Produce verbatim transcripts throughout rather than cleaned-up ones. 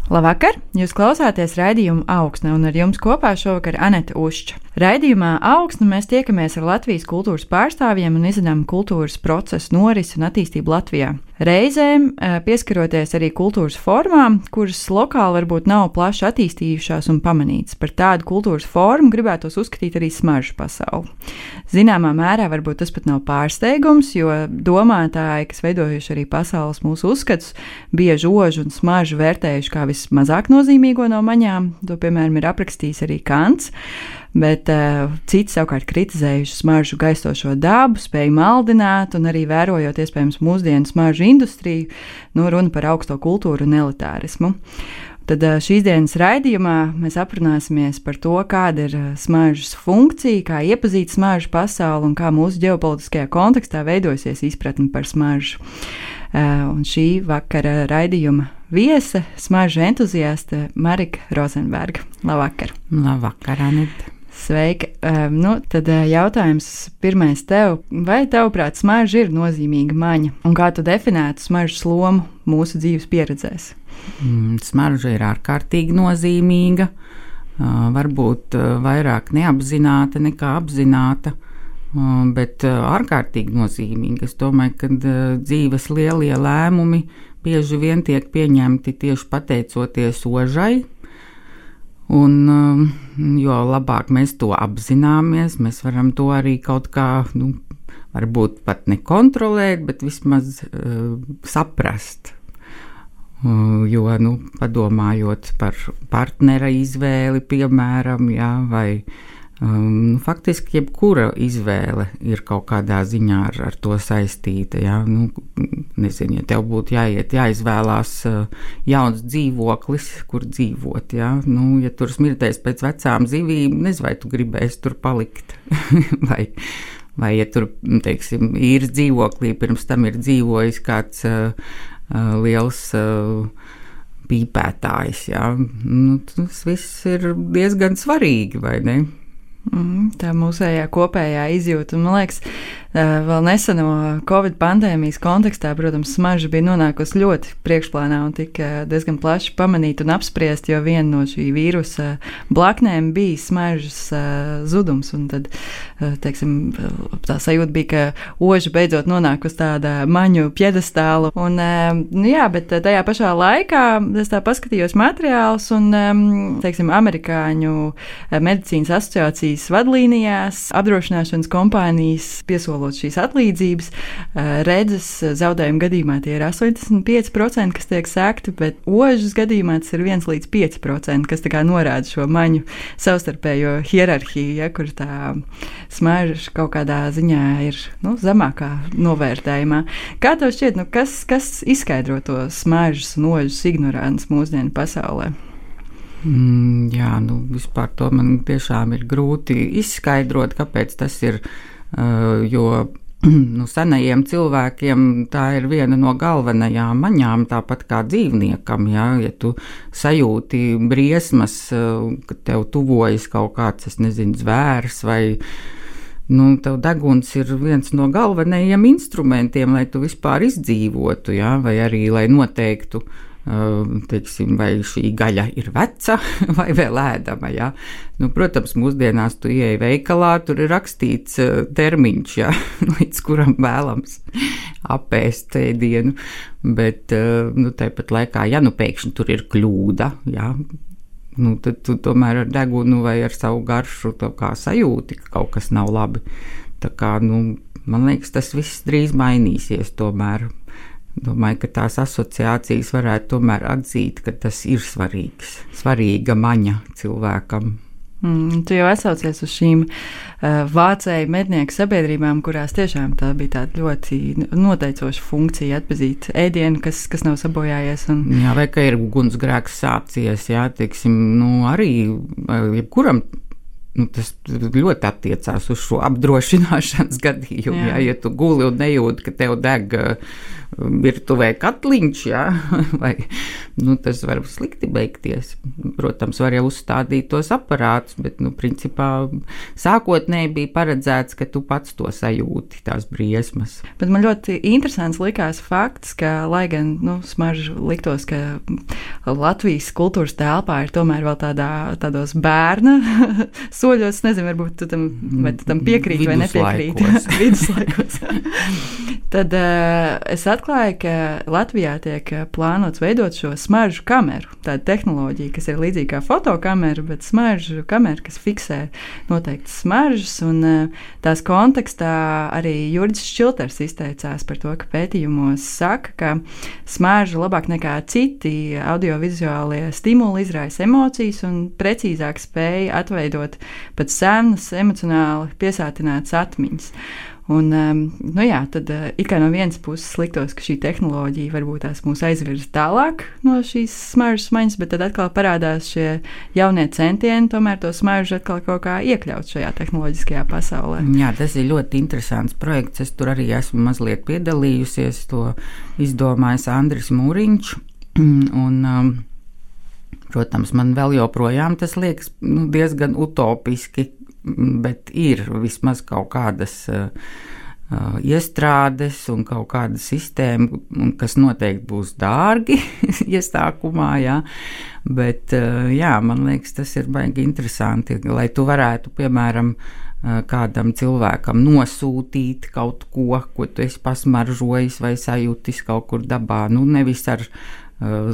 Labvakar! Jūs klausāties raidījumu Augsne, un ar jums kopā šovakar Anete Ušča. Raidījumā Augsne mēs tiekamies ar Latvijas kultūras pārstāvjiem un izzinām kultūras procesu norisi un attīstību Latvijā. Reizēm pieskaroties arī kultūras formām, kuras lokāli varbūt nav plaši attīstījušās un pamanītas. Par tādu kultūras formu gribētos uzskatīt arī smaržu pasauli. Zināmā mērā varbūt tas pat nav pārsteigums, jo domātāji, kas veidojuši arī pasaules mūsu uzskatus, bieži ožu un smaržu vērtējuši kā vismazāk nozīmīgo no maņām. To, piemēram, ir aprakstījis arī Kants. Bet uh, citi savukārt kritizējuši smaržu gaistošo dabu, spēju maldināt un arī vērojot iespējams mūsdienu smaržu industriju, nu, runa par augsto kultūru un elitārismu. Tad uh, šīs dienas raidījumā mēs aprunāsimies par to, kāda ir smaržas funkcija, kā iepazīt smaržu pasauli un kā mūsu ģeopolitiskajā kontekstā veidojasies izpratne par smaržu. Uh, un šī vakara raidījuma viese, smaržu entuziaste Marika Rozenberga. Labvakar! Labvakar, Anita! Sveika! Um, nu, tad uh, jautājums pirmais tev. Vai tavuprāt smarža ir nozīmīga maņa? Un kā tu definētu smaržas lomu mūsu dzīves pieredzēs? Mm, smarža ir ārkārtīgi nozīmīga. Uh, varbūt uh, vairāk neapzināta nekā apzināta, uh, bet uh, ārkārtīgi nozīmīga. Es domāju, ka uh, dzīves lielie lēmumi bieži vien tiek pieņemti tieši pateicoties ožai. Un, jo labāk mēs to apzināmies, mēs varam to arī kaut kā, nu, varbūt pat nekontrolēt, bet vismaz uh, saprast. Uh, jo, nu, padomājot par partnera izvēli, piemēram, jā, vai um, faktiski jebkura izvēle ir kaut kādā ziņā ar, ar to saistīta. Jā, nu, nezinu, ja tev būtu jāiet, jāizvēlās uh, jauns dzīvoklis, kur dzīvot, jā, nu, ja tur smirtēs pēc vecām zivīm, nezinu, vai tu gribēsi tur palikt, vai, vai, ja tur, teiksim, īres dzīvoklī pirms tam ir dzīvojis kāds uh, uh, liels uh, pīpētājs, jā, nu, tas viss ir diezgan svarīgi, vai ne? Mm, tā mūsējā kopējā izjūta, un man liekas, vēl neseno Covid pandēmijas kontekstā, protams, smarža bija nonākusi ļoti priekšplānā un tika diezgan plaši pamanīta un apspriest, jo viena no šī vīrusa blaknēm bija smaržas zudums, un tad, teiksim, tā sajūta bija, ka oža beidzot nonāk uz tāda maņu pjedestālu, un, nu jā, bet tajā pašā laikā es tā paskatījos materiālus, un, teiksim, amerikāņu medicīnas asociācijas vadlīnijās apdrošināšanas kompānijas piesolot šīs atlīdzības, redzes zaudējuma gadījumā tie ir astoņdesmit pieci procenti, kas tiek sekti, bet ožas gadījumā tas ir viens līdz pieci procenti, kas tā kā norāda šo maņu savstarpējo hierarhiju, ja, kur tā smarža kaut kādā ziņā ir, nu, zemākā novērtējumā. Kā tev šķiet, nu, kas, kas izskaidro to smaržas un ožas ignorants mūsdienu pasaulē? Mm, jā, nu, vispār to man tiešām ir grūti izskaidrot, kāpēc tas ir. Uh, jo nu, senajiem cilvēkiem tā ir viena no galvenajām maņām, tāpat kā dzīvniekam. Ja, ja tu sajūti briesmas, uh, ka tev tuvojas kaut kāds, es nezinu, zvērs vai nu, tev deguns ir viens no galvenajiem instrumentiem, lai tu vispār izdzīvotu, ja, vai arī lai noteiktu, teiksim, vai šī gaļa ir veca vai vēl ēdama, ja. Nu, protams, mūsdienās tu ieej veikalā, tur ir rakstīts termiņš, ja, līdz kuram vēlams apēst ēdienu, bet, nu, tāpat laikā, ja nu pēkšņi tur ir kļūda, ja, nu, tad tu tomēr ar degunu vai ar savu garšu tā kā sajūti, ka kaut kas nav labi. Tā kā, nu, man liekas, tas viss drīz mainīsies tomēr. Domāju, ka tās asociācijas varētu tomēr atzīt, ka tas ir svarīgs, svarīga maņa cilvēkam. Mm, tu jau atsaucies uz šīm uh, vācēju mednieku sabiedrībām, kurās tiešām tā bija tāda ļoti noteicoša funkcija atpazīt ēdienu, kas, kas nav sabojājies. Un... Jā, vai ka ir ugunsgrēks sācies, jā, teiksim, nu arī jebkuram. Nu, tas ļoti attiecās uz šo apdrošināšanas gadījumu. Jā. Jā, ja tu guli un nejūti, ka tev deg virtuvē katliņš, jā, vai nu, tas var slikti beigties. Protams, var jau uzstādīt tos aparātus, bet, nu, principā sākotnēji bija paredzēts, ka tu pats to sajūti, tās briesmas. Bet man ļoti interesants likās fakts, ka, lai gan, nu, smaržu liktos, ka Latvijas kultūras telpā ir tomēr vēl tādā, tādos bērna soļos, nezinu, varbūt tu tam, vai tu tam piekrīt vai nepiekrīt. Viduslaikos. Tad uh, es atklāju, ka Latvijā tiek plānots veidot šo smaržu kameru. Tāda tehnoloģija, kas ir līdzīga kā fotokamera, bet smaržu kamera, kas fiksē noteiktas smaržas. Un uh, tās kontekstā arī Jurģis Šķilters izteicās par to, ka pētījumos saka, ka smarža labāk nekā citi audiovizuālie stimuli izraisa emocijas un precīzāk spēja atveidot pat senas, emocionāli piesātinātas atmiņas. Un, um, nu jā, tad uh, it kā no vienas puses liktos, ka šī tehnoloģija varbūt tās mūs aizvirza tālāk no šīs smaržas maņas, bet tad atkal parādās šie jaunie centieni tomēr to smaržu atkal kaut kā iekļaut šajā tehnoloģiskajā pasaulē. Jā, tas ir ļoti interesants projekts. Es tur arī esmu mazliet piedalījusies. To izdomājis Andris Mūriņš. Un, um, protams, man vēl joprojām tas liekas nu, diezgan utopiski, bet ir vismaz kaut kādas uh, uh, iestrādes un kaut kāda sistēma, kas noteikti būs dārgi iesākumā, jā. Bet, uh, jā, man liekas, tas ir baigi interesanti, lai tu varētu, piemēram, uh, kādam cilvēkam nosūtīt kaut ko, ko tu esi pasmaržojis vai sajūtis kaut kur dabā, nu nevis ar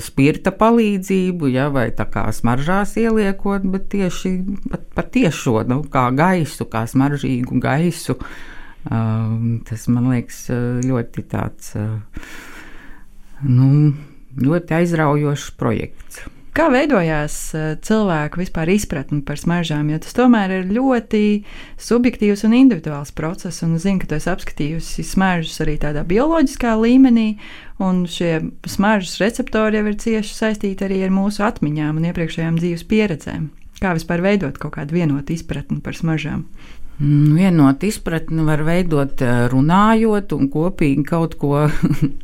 spirta palīdzību, ja, vai tā kā smaržās ieliekot, bet tieši pat, pat tiešo, nu, kā gaisu, kā smaržīgu gaisu. Um, tas, man liekas, ļoti tāds, nu, ļoti aizraujošs projekts. Kā veidojās cilvēku vispār izpratni par smaržām, jo tas tomēr ir ļoti subjektīvs un individuāls process, un zinu, ka tu esi apskatījusi smaržas arī tādā bioloģiskā līmenī, un šie smaržas receptori jau ir cieši saistīti arī ar mūsu atmiņām un iepriekšējām dzīves pieredzēm. Kā vispār veidot kaut kādu vienotu izpratni par smaržām? Vienot izpratni var veidot runājot un kopīgi kaut ko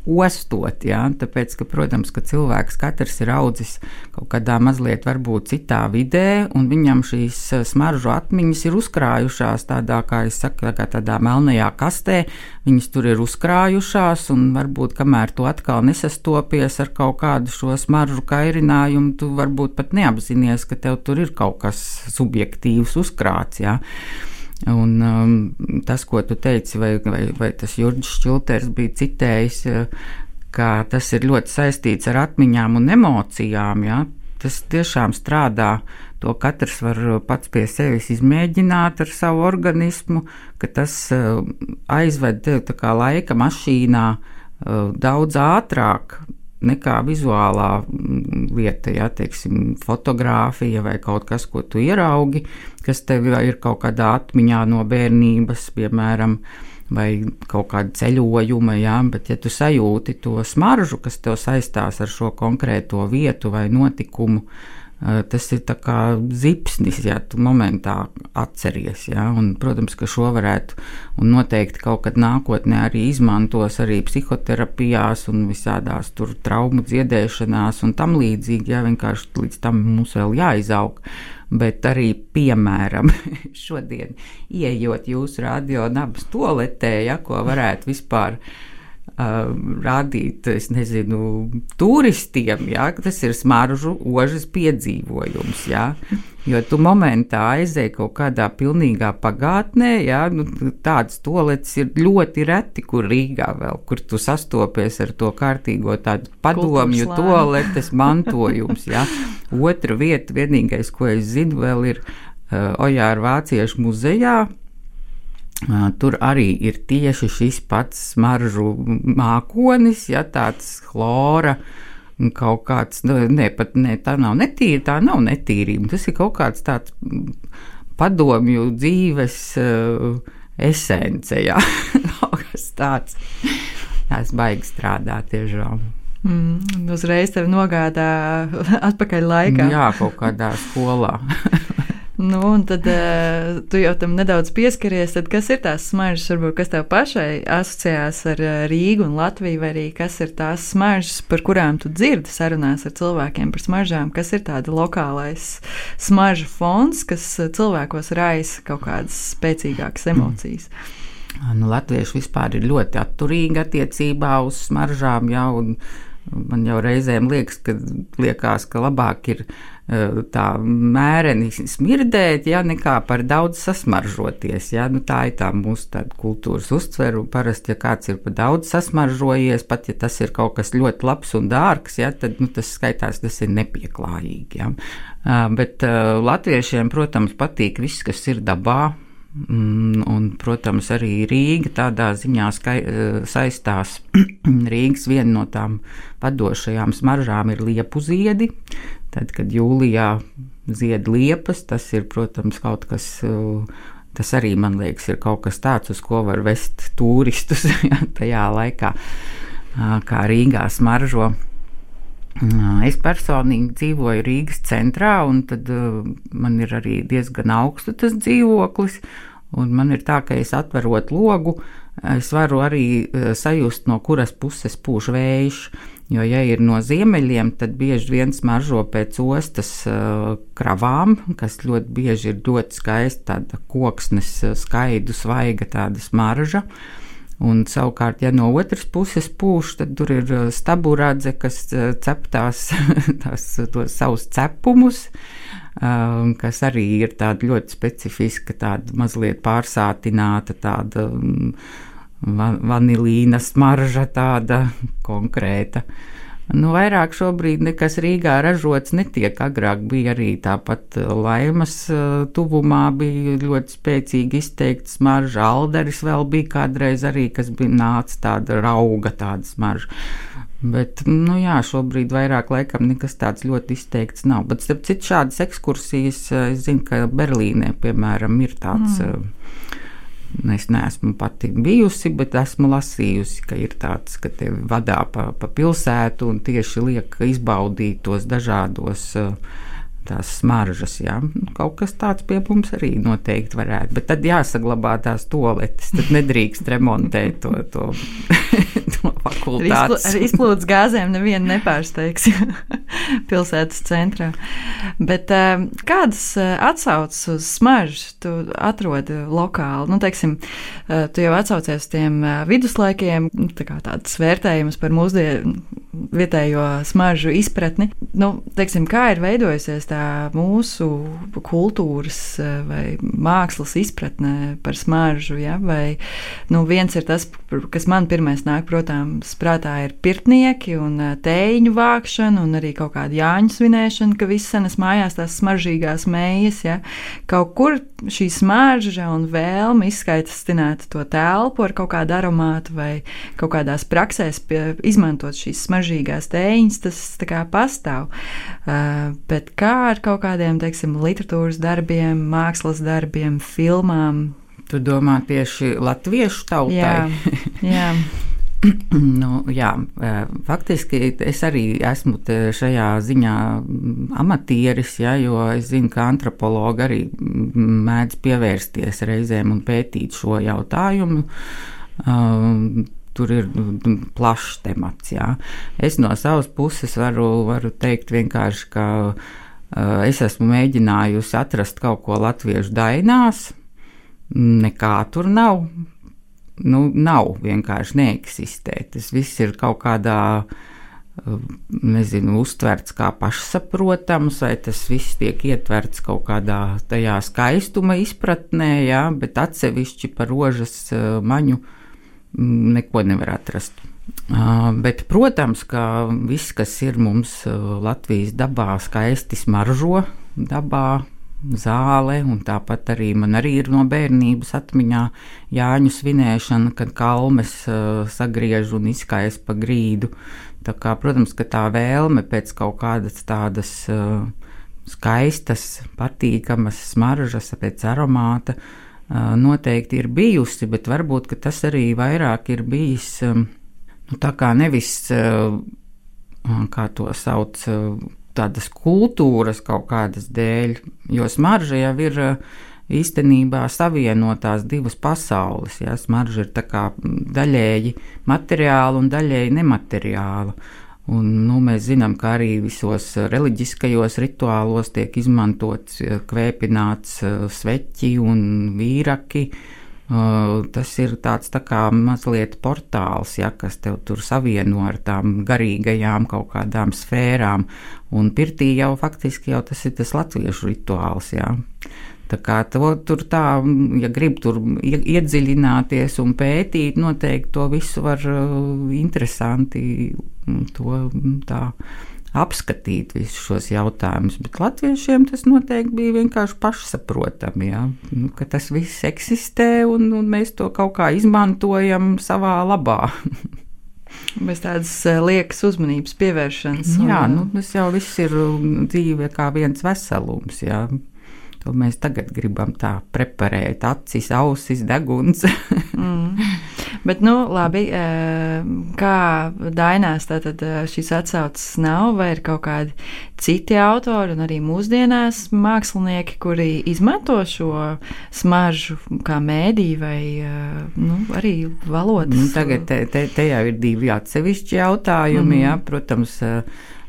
ostot, jā, tāpēc, ka, protams, ka cilvēks katrs ir audzis kaut kādā mazliet varbūt citā vidē, un viņam šīs smaržu atmiņas ir uzkrājušās tādā, kā es saku, kā tādā melnajā kastē, viņas tur ir uzkrājušās, un varbūt, kamēr tu atkal nesastopies ar kaut kādu šo smaržu kairinājumu, tu varbūt pat neapzinies, ka tev tur ir kaut kas subjektīvs uzkrāts, jā. Un um, tas, ko tu teici, vai, vai, vai tas Jurģis Šķilters bija citējis, ka tas ir ļoti saistīts ar atmiņām un emocijām, ja? Tas tiešām strādā, to katrs var pats pie sevis izmēģināt ar savu organismu, ka tas uh, aizved tev tā kā laika mašīnā uh, daudz ātrāk nekā vizuālā lieta, ja, teiksim, fotogrāfija vai kaut kas, ko tu ieraugi, kas tev ir kaut kādā atmiņā no bērnības, piemēram, vai kaut kāda ceļojuma, ja, bet ja tu sajūti to smaržu, kas tev saistās ar šo konkrēto vietu vai notikumu, tas ir tā kā zipsnis, ja tu momentā atceries, ja, un, protams, ka šo varētu un noteikti kaut kad nākotnē arī izmantos arī psihoterapijās un visādās tur traumu dziedēšanās un tam līdzīgi, ja, vienkārši līdz tam mums vēl jāizaug, bet arī, piemēram, šodien ieejot jūsu radio nabas toaletē, ja, ko varētu vispār Uh, rādīt, es nezinu, turistiem, ja, tas ir smaržu ožas piedzīvojums, ja, jo tu momentā aizēji kaut kādā pilnīgā pagātnē, ja, nu, tādas toaletes ir ļoti reti, kur Rīgā vēl, kur tu sastopies ar to kārtīgo tādu padomju toaletes mantojums, ja. Otra vieta, vienīgais, ko es zinu, vēl ir uh, Ojāra Vāciešu muzejā. Tur arī ir tieši šis pats smaržu mākonis, ja, tāds chlora, kaut kāds, ne, pat ne, tā nav netīra, tā nav netīrība, tas ir kaut kāds tāds padomju dzīves uh, esence, ja, kaut kas tāds, tās baigi strādā tiešām. Mm, uzreiz tevi nogādā atpakaļ laikā. Jā, kaut kādā skolā. Nu, un tad uh, tu jau tam nedaudz pieskaries, tad kas ir tās smaržas, varbūt kas tev pašai asociējās ar uh, Rīgu un Latviju, vai arī kas ir tās smaržas, par kurām tu dzirdi sarunās ar cilvēkiem par smaržām, kas ir tāda lokālais smaržu fons, kas cilvēkos raisa kaut kādas spēcīgākas emocijas? Nu, latvieši vispār ir ļoti atturīgi attiecībā uz smaržām, jā, un man jau reizēm liekas, ka, liekas, ka labāk ir tā mēreni smirdēt, ja, nekā par daudz sasmaržoties. Ja. Nu, tā ir tā mūsu tāda kultūras uztver, un parasti, ja kāds ir par daudz sasmaržojies, pat ja tas ir kaut kas ļoti labs un dārgs, ja, tad nu, tas skaitās, tas ir nepieklājīgi. Ja. Bet uh, latviešiem, protams, patīk viss, kas ir dabā. Un, protams, arī Rīga tādā ziņā skai, saistās. Rīgas viena no tām vadošajām smaržām ir liepu ziedi. Tad, kad jūlijā zied liepas, tas ir, protams, kaut kas, tas arī, man liekas, ir kaut kas tāds, uz ko var vest turistus tajā laikā, kā Rīgā smaržo. Es personīgi dzīvoju Rīgas centrā, un tad uh, man ir arī diezgan augstu tas dzīvoklis, un man ir tā, ka es atverot logu, es varu arī uh, sajust, no kuras puses pūš vējš, jo, ja ir no ziemeļiem, tad bieži vien smaržo pēc ostas uh, kravām, kas ļoti bieži ir ļoti skaista, tāda koksnes, skaidu, svaiga tāda smarža. Un savukārt, ja no otras puses pūš, tad tur ir staburadze, kas cep tās, tās tos savus cepumus, kas arī ir tāda ļoti specifiska, tāda mazliet pārsātināta, tāda vanilīna smarža, tāda konkrēta. Nu, vairāk šobrīd nekas Rīgā ražots netiek. Agrāk bija arī tāpat Laimas tuvumā, bija ļoti spēcīgi izteikta smarža. Alderis vēl bija kādreiz arī, kas bija nāca tāda rauga, tāda smarža. Bet, nu jā, šobrīd vairāk laikam nekas tāds ļoti izteikts nav. Bet, starp citu, šādas ekskursijas, es zinu, ka Berlīnē, piemēram, ir tāds... Mm. Es neesmu pati bijusi, bet esmu lasījusi, ka ir tāds, ka tevi vadā pa, pa pilsētu un tieši liek izbaudīt tos dažādos tās smaržas, jā. Kaut kas tāds pie mums arī noteikti varētu, bet tad jāsaglabā tās toaletes, tad nedrīkst remontēt to, to, to fakultātes. Ar izplūdes gāzēm nevienu nepārsteigs pilsētas centrā. Bet kādas atsaucas uz smaržu tu atrodi lokāli? Nu, teiksim, tu jau atsaucies tiem viduslaikiem, tā kā tādas vērtējumas par mūsdienu vietējo smaržu izpratni. Nu, teiksim, kā ir veidojusies tā mūsu kultūras vai mākslas izpratne par smaržu, ja? Vai, nu, viens ir tas, kas man pirmais nāk, protams, prātā ir pirtnieki un tēņu vākšana un arī kaut kāda jāņu svinēšana, ka viss senas mājās tās smaržīgās mējas, ja? Kaut kur šī smarža un vēlme izskaitastināt to telpu ar kaut kādu aromātu vai kaut kādās praksēs pie, izmantot šīs smaržīgās tēņas, tas tā kā pastāv. Uh, bet kā ar kaut kādiem, teiksim, literatūras darbiem, mākslas darbiem, filmām? Tu domā tieši latviešu tautai? Jā, jā. Nu, jā, faktiski es arī esmu šajā ziņā amatieris, ja, jo es zinu, ka antropologi arī mēdz pievērsties reizēm un pētīt šo jautājumu. Um, tur ir plašs temats, jā. Es no savas puses varu, varu teikt vienkārši, ka uh, es esmu mēģinājusi atrast kaut ko latviešu dainās, nekā tur nav. Nu, nav, vienkārši neeksistē. Tas viss ir kaut kādā, nezinu, uztverts kā pašsaprotams, vai tas viss tiek ietverts kaut kādā tajā skaistuma izpratnē, jā, bet atsevišķi par rožas maņu neko nevar atrast. Bet, protams, ka viss, kas ir mums Latvijas dabā, skaisti smaržo dabā, zāle, un tāpat arī man arī ir no bērnības atmiņā jāņu svinēšana, kad kalmes uh, sagriež un izskais pa grīdu. Tā kā, protams, ka tā vēlme pēc kaut kādas tādas uh, skaistas, patīkamas smaržas, pēc aromāta uh, noteikti ir bijusi, bet varbūt, ka tas arī vairāk ir bijis, um, nu tā kā nevis, uh, kā to sauc, uh, tādas kultūras kaut kādas dēļ, jo smarža jau ir īstenībā savienotās divas pasaules. Ja? Smarža ir tā kā daļēji materiāla un daļēji nemateriāla. Un, nu, mēs zinām, ka arī visos reliģiskajos rituālos tiek izmantots, kvēpināts sveķi un vīraki. Tas ir tāds tā kā mazliet portāls, ja, kas tev tur savieno ar tām garīgajām kaut kādām sfērām. Un pirtī jau faktiski jau tas ir tas latviešu rituāls, ja. Tā kā to, tur tā, ja grib tur iedziļināties un pētīt, noteikti to visu var interesanti to tā apskatīt visus šos jautājumus, bet latviešiem tas noteikti bija vienkārši pašsaprotami, ja? Nu, ka tas viss eksistē un, un mēs to kaut kā izmantojam savā labā. Bez tādas liekas uzmanības pievēršanas. Jā, un, nu, tas jau viss ir dzīve kā viens veselums, jā. To mēs tagad gribam tā preparēt, acis, ausis, deguns. mm. Bet, nu, labi, kā Dainās tātad šīs atsauces nav, vai ir kaut kādi citi autori un arī mūsdienās mākslinieki, kuri izmanto šo smaržu kā mēdī vai, nu, arī valodas? Nu, tagad te, te, te jau ir divi atsevišķi jautājumi, mm. jā, protams,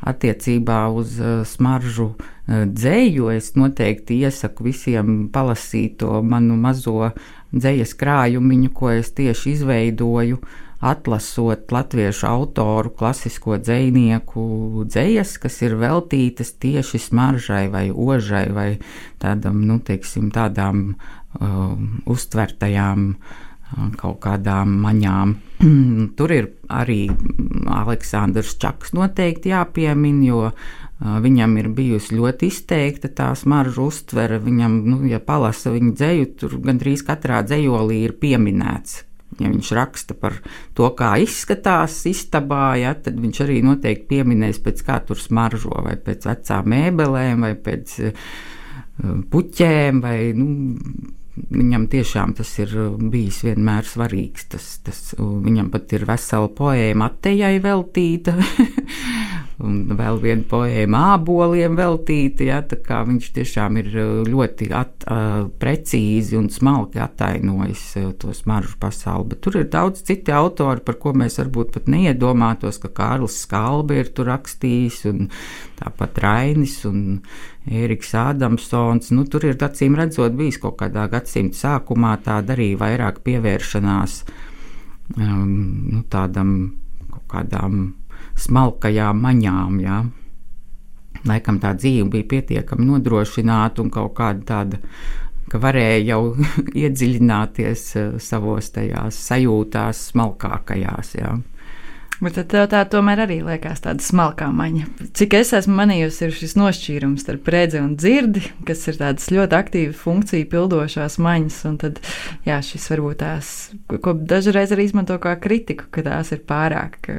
attiecībā uz smaržu dzeju. Es noteikti iesaku visiem palasīt to manu mazo dzejas krājumiņu, ko es tieši izveidoju, atlasot latviešu autoru klasisko dzejnieku dzejas, kas ir veltītas tieši smaržai vai ožai vai tādam, nu, teiksim, tādām uh, uztvertajām uh, kaut kādām maņām. Tur ir arī Aleksandrs Čaks noteikti jāpiemin, jo viņam ir bijusi ļoti izteikta tā smaržu uztvere. Viņam, nu, ja palasa viņa dzeju, tur gandrīz katrā dzejolī ir pieminēts. Ja viņš raksta par to, kā izskatās istabā, ja, tad viņš arī noteikti pieminēs, pēc kā tur smaržo, vai pēc vecām mēbelēm, vai pēc puķēm, vai, nu, viņam tiešām tas ir bijis vienmēr svarīgs. Tas, tas, viņam pat ir vesela poēma Attejai veltīta, un vēl viena poēma āboliem veltīta, ja, tā kā viņš tiešām ir ļoti at, uh, precīzi un smalki attainojis uh, to smaržu pasauli, bet tur ir daudz citi autori, par ko mēs varbūt pat neiedomātos, ka Kārlis Skalbe ir tur rakstījis, un tāpat Rainis un Ēriks Ādamsons. Nu, tur ir acīm redzot bijis kaut kādā gadsimta sākumā tāda arī vairāk pievēršanās um, nu, tādam kaut kādām smalkajām maņām, jā. Laikam tā dzīve bija pietiekami nodrošināta un kaut kāda tāda, ka varēja jau iedziļināties savos tajās sajūtās smalkākajās, jā. Bet tad tev tā tomēr arī liekas tāda smalkā maņa. Cik es esmu manījusi, ir šis nošķīrums starp redzi un dzirdi, kas ir tādas ļoti aktīvi funkciju pildošās maņas, un tad, jā, šis varbūt tās, ko dažreiz arī izmanto kā kritiku, ka tās ir pārāk,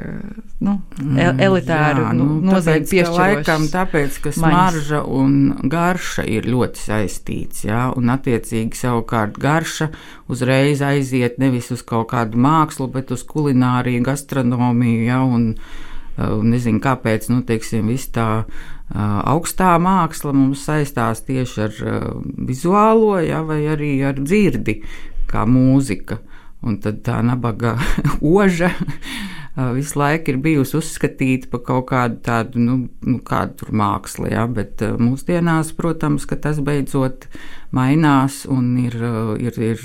nu, elitāru, jā, nu, nozīmi piešķirošas. Laikam tāpēc, ka smarža un garša ir ļoti saistīts, jā, un attiecīgi savukārt garša uzreiz aiziet nevis uz kaut kādu mākslu, bet uz kulināriju, gastronomiju, ja, un uh, nezinu, kāpēc, nu, teiksim, viss tā uh, augstā māksla mums saistās tieši ar uh, vizuālo, ja, vai arī ar dzirdi, kā mūzika. Un tad tā nabaga oža uh, visu laiku ir bijusi uzskatīta par kaut kādu tādu, nu, nu kādu tur mākslu, ja, bet uh, mūsdienās, protams, ka tas beidzot mainās un ir, ir, ir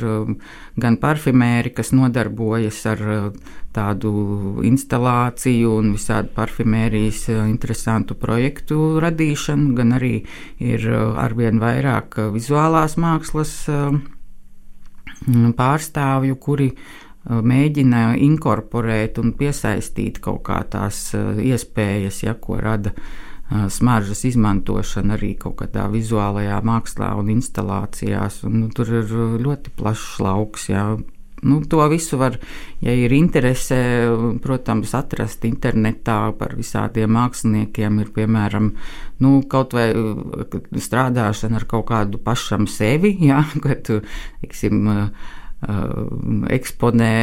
gan parfimēri, kas nodarbojas ar tādu instalāciju un visādu parfimērijas interesantu projektu radīšanu, gan arī ir arvien vairāk vizuālās mākslas pārstāvju, kuri mēģina inkorporēt un piesaistīt kaut kā tās iespējas, ja, ko rada smaržas izmantošana arī kaut kādā vizuālajā mākslā un instalācijās, un nu, tur ir ļoti plašs lauks, jā. Nu, to visu var, ja ir interese, protams, atrast internetā par visādiem māksliniekiem, ir, piemēram, nu, kaut vai strādāšana ar kaut kādu pašam sevi, jā, kad tu, teiksim, Uh, eksponē,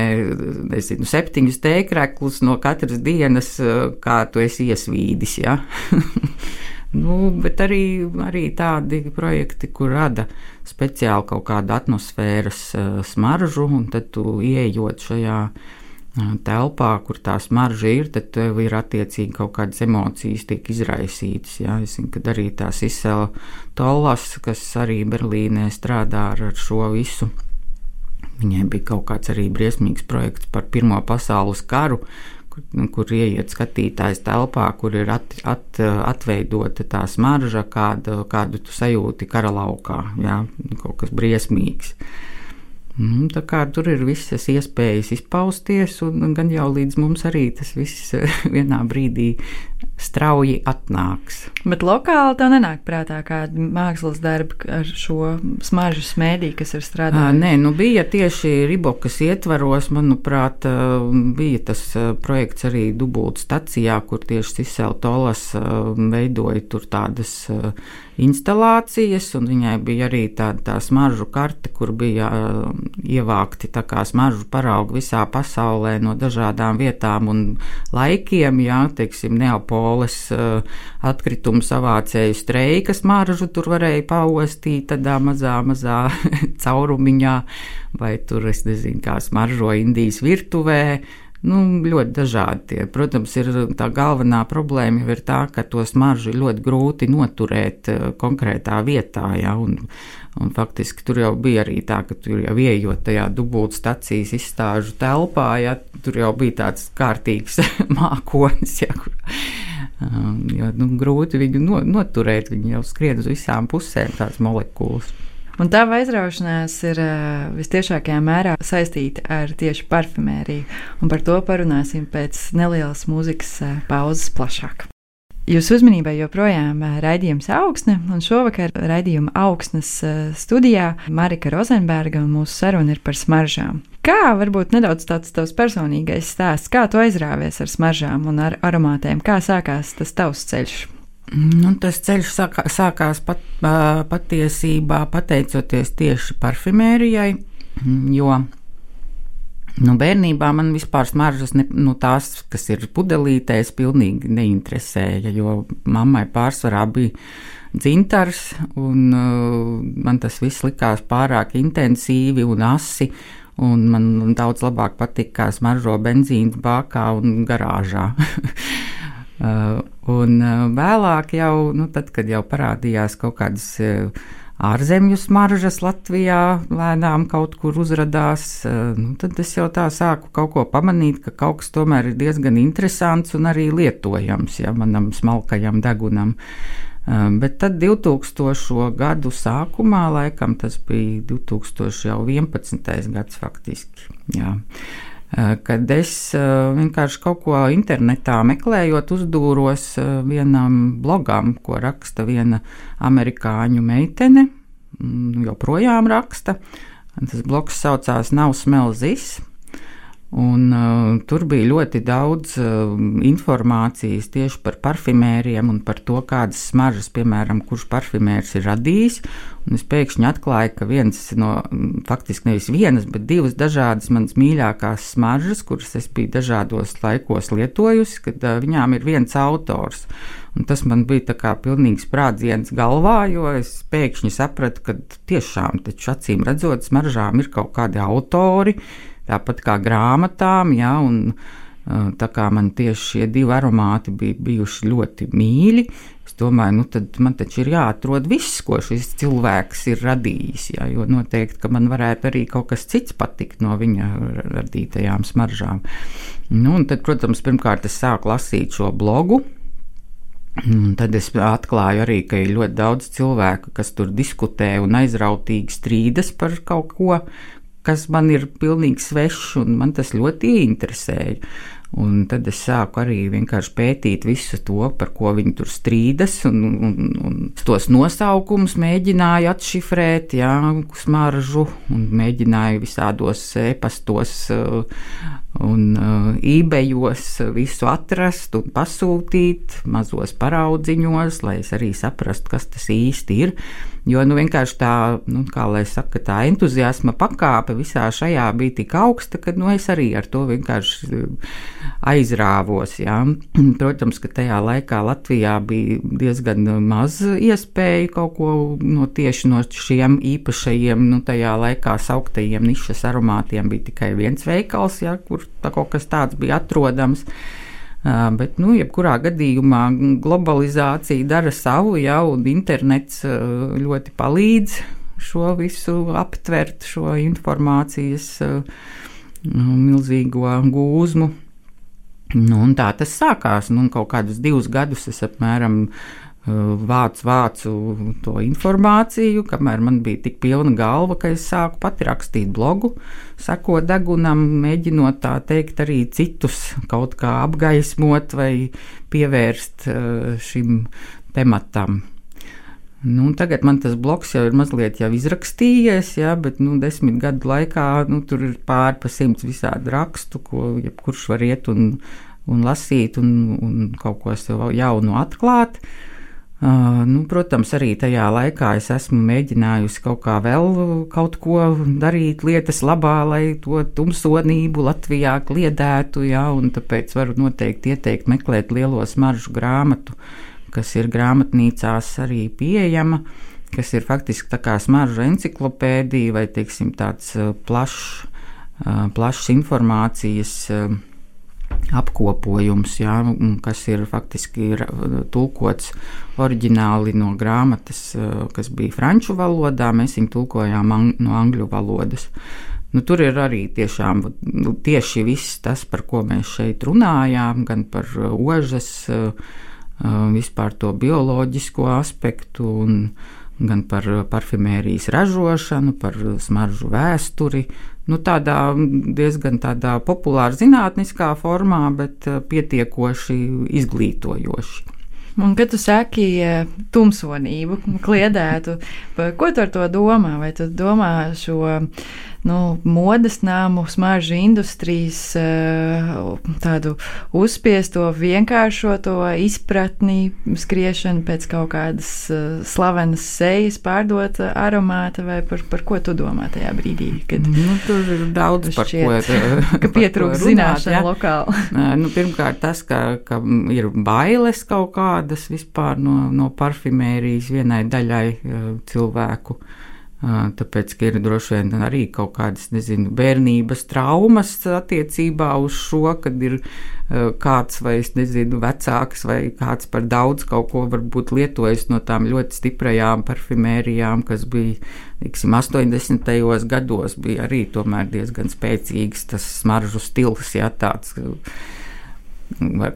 nezinu, septiņus tēkreklus no katras dienas, uh, kā tu esi iesvīdis, ja? Nu, bet arī, arī tādi projekti, kur rada speciāli kaut kādu atmosfēras uh, smaržu, un tad tu ieejot šajā uh, telpā, kur tā smarža ir, tad tev ir attiecīgi kaut kādas emocijas tiek izraisītas. Jā. Es zinu, kad arī tās Isela Tollas, kas arī Berlīnē strādā ar, ar šo visu. Viņai bija kaut kāds arī briesmīgs projekts par Pirmo pasaules karu, kur, kur ieiet skatītājs telpā, kur ir at, at, atveidota tā smarža, kādu, kādu tu sajūti kara laukā, jā, kaut kas briesmīgs. Tā kā tur ir visas iespējas izpausties, un gan jau līdz mums arī tas viss vienā brīdī strauji atnāks. Bet lokāli tev nenāk prātā kāda mākslas darba ar šo smaržu smēdī, kas ir strādājusi? Nē, nu bija tieši Ribokas ietvaros, manuprāt, bija tas projekts arī Dubult stacijā, kur tieši Isela Tollas veidoja tur tādas instalācijas, un viņai bija arī tāda tā smaržu karte, kur bija ievākti tā kā smaržu paraugi visā pasaulē no dažādām vietām un laikiem, jā, teiksim, Neapoles uh, atkritumu savācēju streika smaržu tur varēja paostīt tādā mazā, mazā caurumiņā, vai tur, es nezinu, kā smaržo Indijas virtuvē. Nu, ļoti dažādi tie. Protams, ir tā galvenā problēma jau ir tā, ka to smaržu ir ļoti grūti noturēt konkrētā vietā, ja, un, un faktiski tur jau bija arī tā, ka tur jau ieejot tajā Dubult stacijas izstāžu telpā, ja, tur jau bija tāds kārtīgs mākonis, ja, kur, jo, nu, grūti viņu no, noturēt, viņi jau skrien uz visām pusēm tās molekulas. Un tā aizraušanās ir uh, vistiešākajā mērā saistīta ar tieši parfumēriju, un par to parunāsim pēc nelielas mūzikas uh, pauzes plašāk. Jūsu uzmanībai joprojām uh, raidījums Augsne, un šovakar raidījuma Augsnes uh, studijā Marika Rozenberga, un mūsu saruna ir par smaržām. Kā varbūt nedaudz tāds tavs personīgais stāsts, kā tu aizrāvies ar smaržām un ar aromātiem, kā sākās tas tavs ceļš? Nu, tas ceļš sākā, sākās pat, patiesībā pateicoties tieši parfumērijai, jo nu, bērnībā man vispār smaržas, ne, nu, tās, kas ir pudelītēs, pilnīgi neinteresēja, jo mammai pārsvarā bija dzintars, un uh, man tas viss likās pārāk intensīvi un asi, un man daudz labāk patika, kā smaržo benzīns bākā un garāžā. Uh, un uh, vēlāk jau, nu, tad, kad jau parādījās kaut kādas uh, ārzemju smaržas Latvijā, lēnām kaut kur uzradās, uh, nu, tad es jau tā sāku kaut ko pamanīt, ka kaut kas tomēr ir diezgan interesants un arī lietojams, ja, manam smalkajam degunam. Uh, bet tad divtūkstošo gadu sākumā, laikam tas bija divi tūkstoši vienpadsmitais gads faktiski, jā. Kad es vienkārši kaut ko internetā meklējot, uzdūros vienam blogam, ko raksta viena amerikāņu meitene, joprojām raksta. Tas blogs saucās Now Smell This, un uh, tur bija ļoti daudz uh, informācijas tieši par parfumēriem un par to, kādas smaržas, piemēram, kurš parfumērs ir radījis. Un es pēkšņi atklāju, ka viens no, faktiski nevis vienas, bet divas dažādas manas mīļākās smaržas, kuras es biju dažādos laikos lietojusi, kad uh, viņām ir viens autors. Un tas man bija tā kā pilnīgs sprādziens galvā, jo es pēkšņi sapratu, ka tiešām taču acīm redzot smaržām ir kaut kādi autori, tāpat kā grāmatām, jā, un tā kā man tieši šie divi aromāti bija bijuši ļoti mīļi, es domāju, nu tad man taču ir jāatrod viss, ko šis cilvēks ir radījis, jā, jo noteikti, ka man varētu arī kaut kas cits patikt no viņa radītajām smaržām. Nu, un tad, protams, pirmkārt es sāku lasīt šo blogu, un tad es atklāju arī, ka ir ļoti daudz cilvēku, kas tur diskutē un aizrautīgi strīdas par kaut ko, kas man ir pilnīgi svešs, un man tas ļoti ieinteresēja. Un tad es sāku arī vienkārši pētīt visu to, par ko viņi tur strīdas, un, un, un tos nosaukumus mēģināju atšifrēt, jā, smaržu, un mēģināju visādos e-pastos uh, un uh, eBayos visu atrast un pasūtīt mazos paraudziņos, lai es arī saprastu, kas tas īsti ir. Jo nu, vienkārši tā, nu, kā lai saka, tā entuziasma pakāpe visā šajā bija tik augsta, ka nu, es arī ar to vienkārši aizrāvos. Jā. Protams, ka tajā laikā Latvijā bija diezgan maz iespēju kaut ko no tieši no šiem īpašajiem, nu, tajā laikā sauktajiem nišas aromātiem bija tikai viens veikals, jā, kur tā kaut kas tāds bija atrodams. Uh, bet, nu, jebkurā gadījumā globalizācija dara savu, jā, un internets uh, ļoti palīdz šo visu aptvert, šo informācijas uh, milzīgo gūzmu. Nu, un tā tas sākās, nu, kaut kādus divus gadus es apmēram vācu, vācu to informāciju, kamēr man bija tik pilna galva, ka es sāku pati rakstīt blogu, sekot degunam, mēģinot tā teikt arī citus kaut kā apgaismot vai pievērst šim tematam. Nu, tagad man tas blogs jau ir mazliet jau izrakstījies, jā, bet nu, desmit gadu laikā nu, tur ir pāri pa simts visādi rakstu, ko jebkurš var iet un, un lasīt un, un kaut ko sev jaunu atklāt. Uh, nu, protams, arī tajā laikā es esmu mēģinājusi kaut kā vēl kaut ko darīt lietas labā, lai to tumsonību Latvijā kliedētu, jā, un tāpēc varu noteikti ieteikt meklēt Lielo smaržu grāmatu, kas ir grāmatnīcās arī pieejama, kas ir faktiski tā kā smaržu enciklopēdija vai, teiksim, tāds plašs, plašs informācijas apkopojums, jā, kas ir faktiski ir tulkots oriģināli no grāmatas, kas bija franču valodā, mēs viņu tulkojām ang- no angļu valodas. Nu, tur ir arī tiešām tieši viss tas, par ko mēs šeit runājām, gan par ožas, vispār to bioloģisko aspektu, un gan par parfimērijas ražošanu, par smaržu vēsturi. Nu, tādā diezgan tādā populāra zinātniskā formā, bet pietiekoši izglītojoši. Un, kad tu saki tumsonību, kliedētu, ko tu ar to domā? Vai tu domā šo nu, modes nāmu, smaržu industrijas tādu uzspiesto, vienkāršoto izpratni, skriešanu pēc kaut kādas slavenas sejas, pārdot aromāta, vai par, par ko tu domā tajā brīdī? Kad nu, tur ir daudz par šķiet, ko, ka pietrūkst zināšana lokāli. Nu, pirmkārt tas, ka, ka ir bailes kaut kādas vispār no, no parfimērijas vienai daļai cilvēku. Tāpēc, ka ir droši vien arī kaut kādas, nezinu, bērnības traumas attiecībā uz šo, kad ir kāds vai, es nezinu, vecāks vai kāds par daudz kaut ko varbūt lietojis no tām ļoti stiprajām parfimērijām, kas bija, teiksim, astoņdesmitajos gados bija arī tomēr diezgan spēcīgs tas smaržu stils, jā, tāds,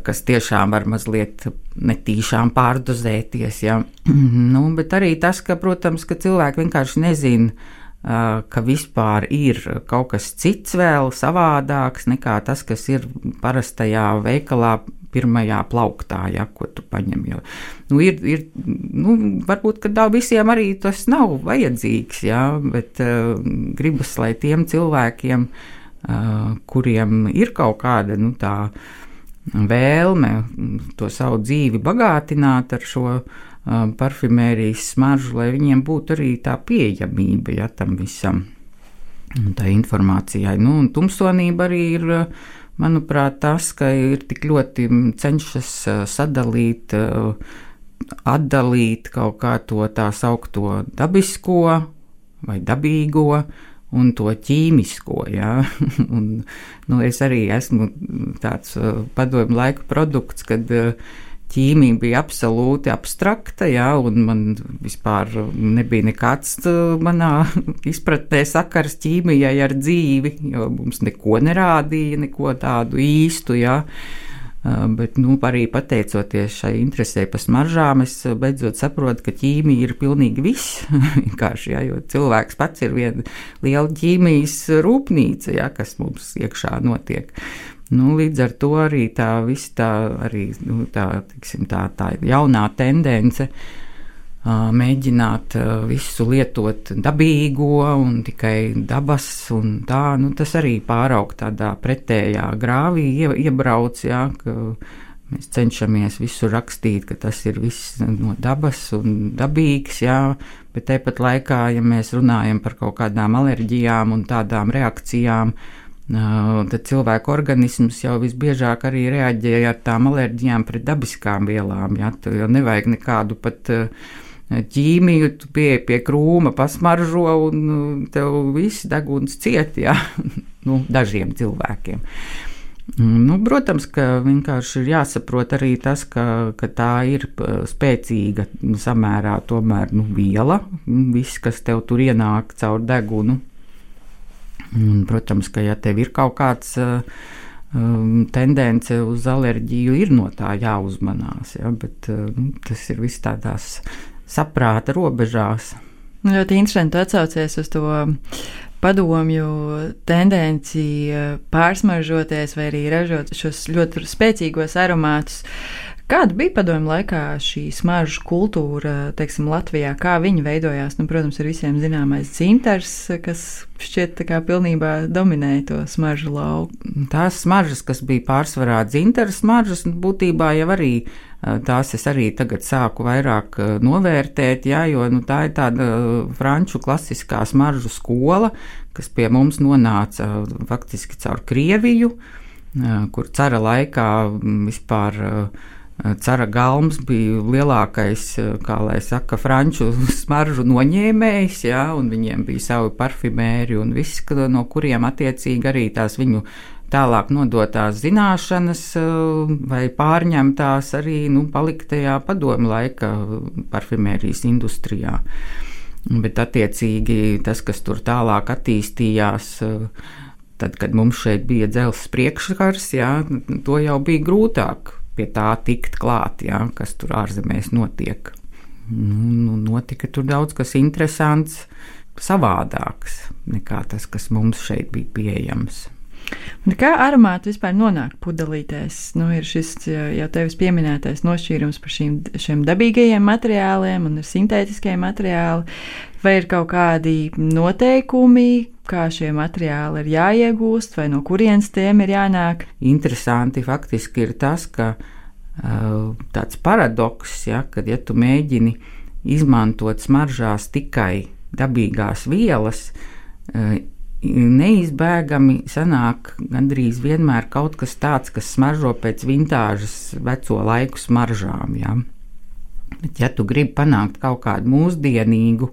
kas tiešām var mazliet netīšām pārdozēties, ja. Nu, bet arī tas, ka, protams, ka cilvēki vienkārši nezina, ka vispār ir kaut kas cits vēl savādāks nekā tas, kas ir parastajā veikalā pirmajā plauktā, ja, ko tu paņem. Jo, nu, ir, ir, nu, varbūt, ka daudz visiem arī tas nav vajadzīgs, ja, bet uh, gribas, lai tiem cilvēkiem, uh, kuriem ir kaut kāda, nu, tā vēlme to savu dzīvi bagātināt ar šo uh, parfimērijas smaržu, lai viņiem būtu arī tā pieejamība, ja, tam visam, tā informācijai. Nu, un tumsonība arī ir, manuprāt, tas, ka ir tik ļoti cenšas sadalīt, atdalīt kaut kā to tā saukto dabisko vai dabīgo un to ķīmisko, jā. Un, nu, es arī esmu tāds padomju laiku produkts, kad ķīmija bija absolūti abstrakta, jā, un man vispār nebija nekāds manā izpratnē sakars ķīmijai ar dzīvi, jo mums neko nerādīja, neko tādu īstu, jā. Bet, nu, arī pateicoties šai interesē par smaržām, es beidzot saprotu, ka ķīmija ir pilnīgi viss, vienkārši, jā, jo cilvēks pats ir viena liela ķīmijas rūpnīca, jā, kas mums iekšā notiek. Nu, līdz ar to arī tā viss tā, arī, nu, tā, tiksim, tā, tā jaunā tendence mēģināt visu lietot dabīgo un tikai dabas un tā, nu, tas arī pāraug tādā pretējā grāvī iebrauc, jā, ka mēs cenšamies visu rakstīt, ka tas ir viss no dabas un dabīgs, jā, bet tāpat laikā, ja mēs runājam par kaut kādām alerģijām un tādām reakcijām, tad cilvēku organisms jau visbiežāk arī reaģēja ar tām alerģijām pret dabiskām vielām, jā, tu jau nevajag nekādu pat ķīmiju, tu pieeji pie krūma, pasmaržo un tev viss deguns ciet, jā, nu, dažiem cilvēkiem. Nu, protams, ka vienkārši ir jāsaprot arī tas, ka, ka tā ir spēcīga samērā tomēr, nu, viela, viss, kas tev tur ienāk caur degunu. Un, protams, ka ja tev ir kaut kāds um, tendence uz alerģiju, ir no tā jāuzmanās, ja, bet um, tas ir viss tādās saprāta robežās. Ļoti interesanti atsaucies uz to padomju tendenci pārsmaržoties vai arī ražot šos ļoti spēcīgos aromātus. Kāda bija padomju laikā šī smaržu kultūra, teiksim, Latvijā? Kā viņi veidojās? Nu, protams, ir visiem zināmais dzintars, kas šķiet tā kā pilnībā dominēja to smaržu lauku. Tās smaržas, kas bija pārsvarā dzintara smaržas, būtībā jau arī tās es arī tagad sāku vairāk novērtēt, jā, jo nu, tā ir tāda franču klasiskā smaržu skola, kas pie mums nonāca faktiski caur Krieviju, kur cara laikā vispār cara galms bija lielākais, kā lai saka, franču smaržu noņēmējs, jā, un viņiem bija savi parfimēri un viss, no kuriem attiecīgi arī tās viņu tālāk nodotās zināšanas vai pārņemtās arī, nu, paliktajā padomju laika parfimērijas industrijā. Bet attiecīgi tas, kas tur tālāk attīstījās, tad, kad mums šeit bija dzelzs priekškars, jā, to jau bija grūtāk pie tā tikt klāt, jā, kas tur ārzemēs notiek. Nu, notika tur daudz kas interesants, savādāks nekā tas, kas mums šeit bija pieejams. Un kā aromāti vispār nonāk pudelītēs? Nu, ir šis jau tevis pieminētais nošķīrums par šīm, šiem dabīgajiem materiāliem un sintētiskiem materiāli. Vai ir kaut kādi noteikumi, kā šie materiāli ir jāiegūst, vai no kurienes tiem ir jānāk? Interesanti faktiski ir tas, ka uh, tāds paradoks, ja, kad ja tu mēģini izmantot smaržās tikai dabīgās vielas, uh, neizbēgami sanāk gandrīz vienmēr kaut kas tāds, kas smaržo pēc vintāžas veco laiku smaržām, ja. Bet ja tu gribi panākt kaut kādu mūsdienīgu,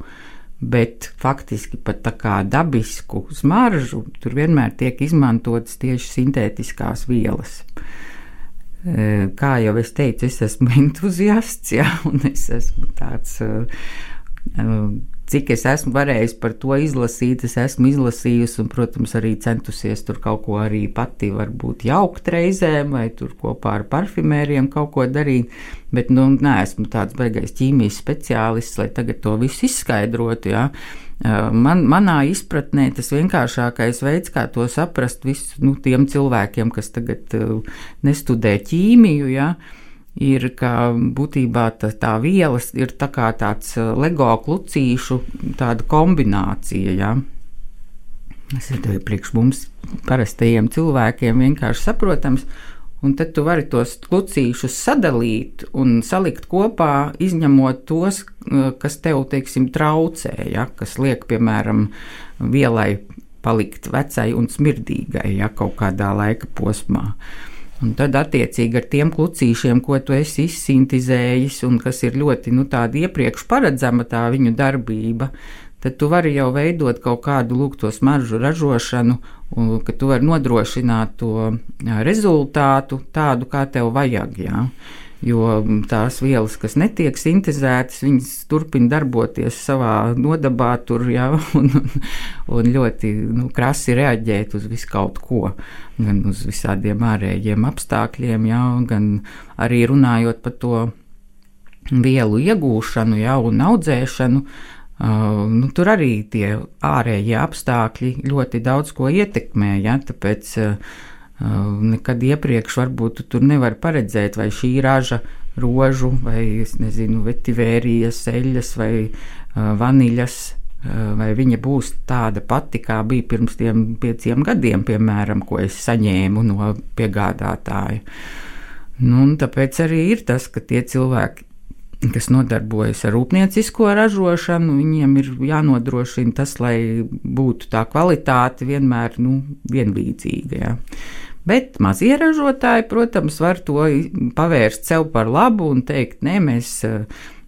bet faktiski pat tā kā dabisku smaržu, tur vienmēr tiek izmantotas tieši sintētiskās vielas. Kā jau es teicu, es esmu entuziasts, ja, un es esmu tāds... Cik es esmu varējis par to izlasīt, es esmu izlasījusi un, protams, arī centusies tur kaut ko arī pati varbūt jaukt reizēm vai tur kopā ar parfimēriem kaut ko darīt, bet, nu, neesmu tāds baigais ķīmijas speciālists, lai tagad to visu izskaidrotu, jā. Man, manā izpratnē tas vienkāršākais veids, kā to saprast visu, nu, tiem cilvēkiem, kas tagad nestudē ķīmiju, jā, ir, ka būtībā tā, tā vielas ir tā kā tāds lego klucīšu tāda kombinācija, ja. Tas ir priekš mums parastajiem cilvēkiem vienkārši saprotams, un tad tu vari tos klucīšus sadalīt un salikt kopā, izņemot tos, kas tev, teiksim, traucē, ja, kas liek, piemēram, vielai palikt vecai un smirdīgai, ja, kaut kādā laika posmā. Un tad, attiecīgi, ar tiem klucīšiem, ko tu esi izsintizējis un kas ir ļoti, nu, tāda iepriekš paredzama tā viņu darbība, tad tu vari jau veidot kaut kādu, lūk, to smaržu ražošanu, un, ka tu vari nodrošināt to jā, rezultātu tādu, kā tev vajag, jā. Jo tās vielas, kas netiek sintezētas, viņas turpina darboties savā nodabā tur, jā, un, un ļoti, nu, krasi reaģēt uz visu kaut ko, gan uz visādiem ārējiem apstākļiem, jā, gan arī runājot par to vielu iegūšanu, jā, un audzēšanu, uh, nu, tur arī tie ārējie apstākļi ļoti daudz ko ietekmē, jā, tāpēc uh, nekad iepriekš varbūt tu tur nevar paredzēt, vai šī raža rožu vai, es nezinu, vetivērijas, eļas vai uh, vaniļas, uh, vai viņa būs tāda pati, kā bija pirms tiem pieciem gadiem, piemēram, ko es saņēmu no piegādātāja. Nu, un tāpēc arī ir tas, ka tie cilvēki, kas nodarbojas ar rūpniecisko ražošanu, viņiem ir jānodrošina tas, lai būtu tā kvalitāte vienmēr nu, vienlīdzīga. Ja. Bet mazie ražotāji, protams, var to pavērst sev par labu un teikt, nē, mēs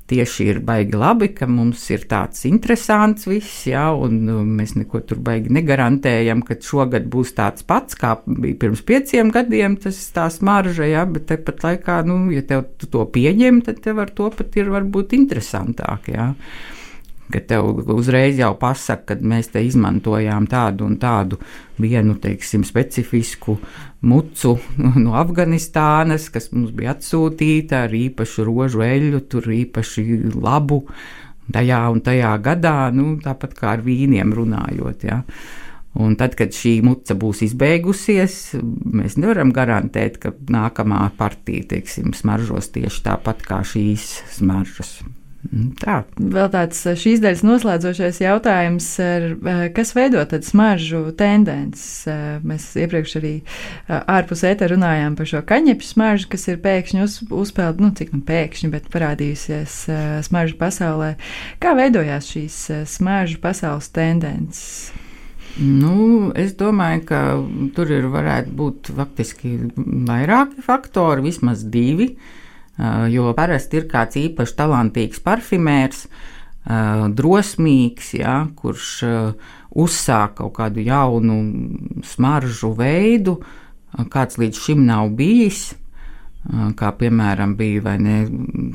tieši ir baigi labi, ka mums ir tāds interesants viss, ja, un mēs neko tur baigi negarantējam, ka šogad būs tāds pats, kā bija pirms pieciem gadiem, tas tā smarža, ja, bet tepat laikā, nu, ja tev tu to pieņem, tad tev ar to pat ir varbūt interesantāk, ja. Ka tev uzreiz jau pasaka, kad mēs te izmantojām tādu un tādu vienu, teiksim, specifisku mucu no Afganistānas, kas mums bija atsūtīta ar īpašu rožu eļļu, tur īpaši labu tajā un tajā gadā, nu, tāpat kā ar vīniem runājot, ja. Un tad, kad šī muca būs izbeigusies, mēs nevaram garantēt, ka nākamā partija, teiksim, smaržos tieši tāpat kā šīs smaržas. Tā. Vēl tāds šīs daļas noslēdzošais jautājums, kas veido tad smaržu tendences? Mēs iepriekš arī ārpus ētera runājām par šo kaņepšu smaržu, kas ir pēkšņi uz, uzpeld, nu cik nu pēkšņi, bet parādījusies smaržu pasaulē. Kā veidojās šīs smaržu pasaules tendences? Nu, es domāju, ka tur ir varētu būt faktiski vairāki faktori, vismaz divi. Jo parasti ir kāds īpaši talantīgs parfimērs, drosmīgs, ja, kurš uzsāk kaut kādu jaunu smaržu veidu, kāds līdz šim nav bijis, kā piemēram bija, vai ne,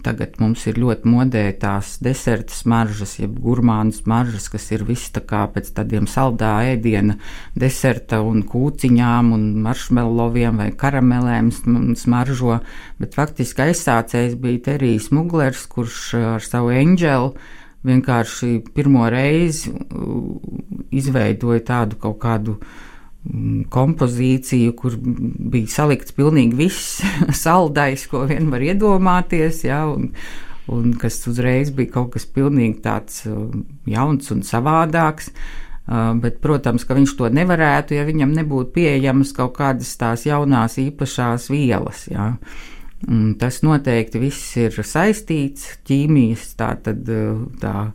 tagad mums ir ļoti modē tās deserta smaržas, jeb gurmānu smaržas, kas ir viss tā kā pēc tādiem saldā ēdiena deserta un kūciņām un maršmeloviem vai karamelēm smaržo, bet faktiski aizsācējs bija Terijs Muglers, kurš ar savu Angel vienkārši pirmo reizi izveidoja tādu kaut kādu kompozīciju, kur bija salikts pilnīgi viss saldais, ko vien var iedomāties, ja, un, un kas uzreiz bija kaut kas pilnīgi tāds jauns un savādāks, bet, protams, ka viņš to nevarētu, ja viņam nebūtu pieejamas kaut kādas tās jaunās īpašās vielas, ja. Un tas noteikti viss ir saistīts, ķīmijas tā tad tā